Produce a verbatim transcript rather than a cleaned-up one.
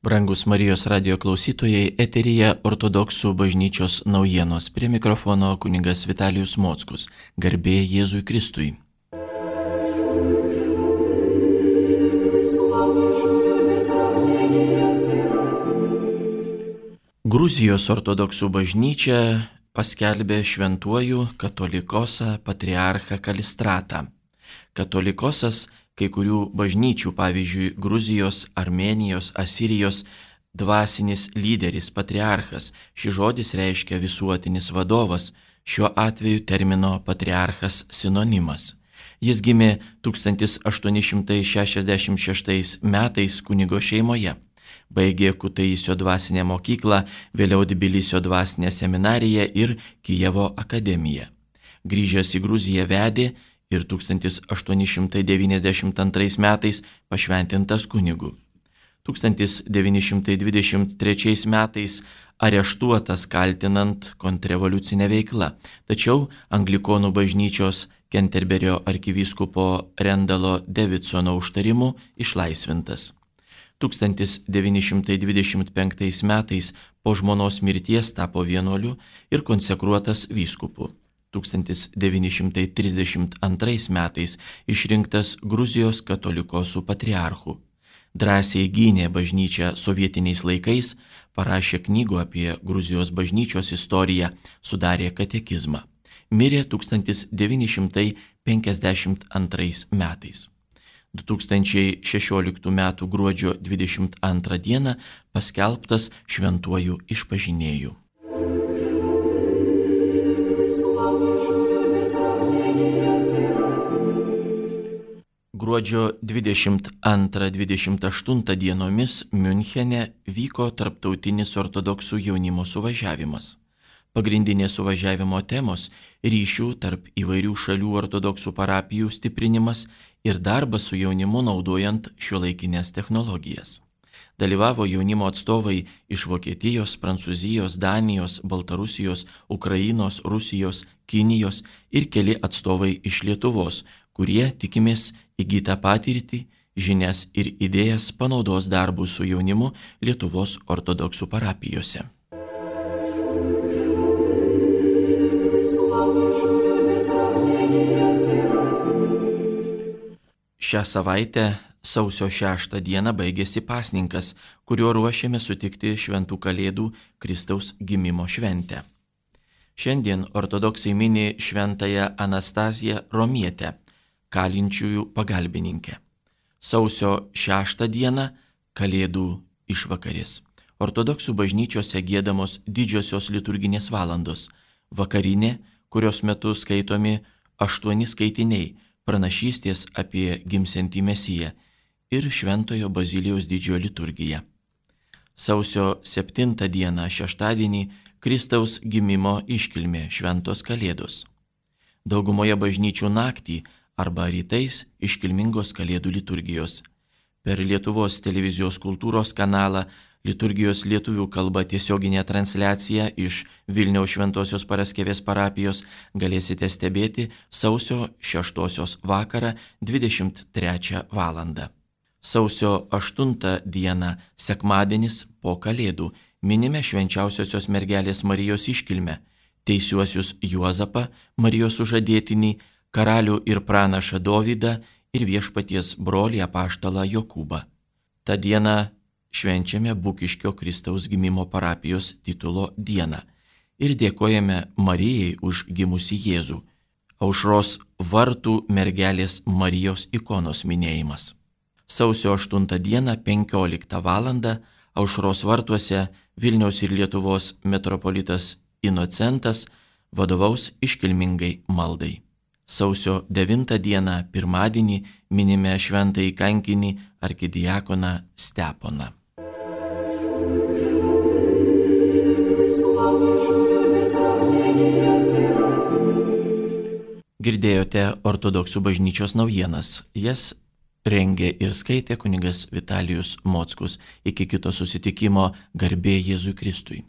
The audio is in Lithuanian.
Brangus Marijos radio klausytojai, eteryje ortodoksų bažnyčios naujienos. Prie mikrofono kunigas Vitalijus Mockus. Garbė Jėzui Kristui. Gruzijos ortodoksų bažnyčia paskelbė šventuoju katolikosą patriarchą Kalistratą. Katolikosas kai kurių bažnyčių, pavyzdžiui, Gruzijos, Armėnijos, Asirijos dvasinis lyderis, patriarchas. Šis žodis reiškia visuotinis vadovas, šiuo atveju termino patriarchas sinonimas. Jis gimė tūkstantis aštuoni šimtai šešiasdešimt šeštais metais kunigo šeimoje. Baigė Kutaisio dvasinę mokyklą, vėliau Tbilisio dvasinę seminariją ir Kijevo akademiją. Grįžęs į Gruziją vedė ir tūkstantis aštuoni šimtai devyniasdešimt antrais metais pašventintas kunigu. tūkstantis devyni šimtai dvidešimt trečiais metais areštuotas kaltinant kontrrevoliucinę veiklą, tačiau Anglikonų bažnyčios Kenterberio arkivyskupo Rendalo Davidsono užtarimu išlaisvintas. tūkstantis devyni šimtai dvidešimt penktais metais po žmonos mirties tapo vienuoliu ir konsekruotas vyskupu. tūkstantis devyni šimtai trisdešimt antrais metais išrinktas Gruzijos katolikosų patriarchu. Drąsiai gynė bažnyčią sovietiniais laikais, parašė knygų apie Gruzijos bažnyčios istoriją, sudarė katekizmą. Mirė tūkstantis devyni šimtai penkiasdešimt antrais metais. du tūkstančiai šešioliktų metų gruodžio dvidešimt antrą dieną paskelbtas šventuoju išpažinėju. Gruodžio dvidešimt antrą dvidešimt aštuntą dienomis Miunchene vyko tarptautinis ortodoksų jaunimo suvažiavimas. Pagrindinės suvažiavimo temos - ryšių tarp įvairių šalių ortodoksų parapijų stiprinimas ir darbas su jaunimu naudojant šiuolaikinės technologijas. Dalyvavo jaunimo atstovai iš Vokietijos, Prancūzijos, Danijos, Baltarusijos, Ukrainos, Rusijos, Kinijos ir keli atstovai iš Lietuvos, kurie, tikimės, įgytą patirtį, žinias ir idėjas panaudos darbų su jaunimu Lietuvos ortodoksų parapijose. Šią savaitę sausio šeštą dieną baigėsi pasninkas, kuriuo ruošėme sutikti šventų kalėdų Kristaus gimimo šventę. Šiandien ortodoksai mini šventąją Anastaziją Romietę, kalinčiųjų pagalbininkę. Sausio šeštą dieną kalėdų išvakarės. Ortodoksų bažnyčiose giedamos didžiosios liturginės valandos. Vakarinė, kurios metu skaitomi aštuoni skaitiniai, pranašystės apie gimsiantį Mesiją ir Šventojo Bazilijaus didžiojo liturgija. Sausio septintą dieną šeštadienį Kristaus gimimo iškilmė šventos kalėdos. Daugumoje bažnyčių naktį arba rytais iškilmingos kalėdų liturgijos. Per Lietuvos televizijos kultūros kanalą liturgijos lietuvių kalba tiesioginė transliacija iš Vilniaus Šventosios Paraskevės parapijos galėsite stebėti sausio šeštosios vakarą dvidešimt trečią valandą. Sausio aštuntą dieną sekmadienis po kalėdų minime švenčiausiosios mergelės Marijos iškilmę, teisiuosius Juozapą, Marijos sužadėtinį, karalių ir pranašą Dovydą ir viešpaties brolį apaštalą Jokūbą. Ta diena švenčiame Bukiškio Kristaus gimimo parapijos titulo dieną ir dėkojame Marijai už gimusį Jėzų. Aušros vartų mergelės Marijos ikonos minėjimas. Sausio aštuntą dieną penkioliktą valandą Aušros vartuose Vilniaus ir Lietuvos metropolitas Inocentas vadovaus iškilmingai maldai. Sausio devintą dieną pirmadienį minime šventąjį kankinį arkidiakoną Steponą. Girdėjote ortodoksų bažnyčios naujienas. Jas rengė ir skaitė kunigas Vitalijus Mockus. Iki kito susitikimo, garbė Jėzui Kristui.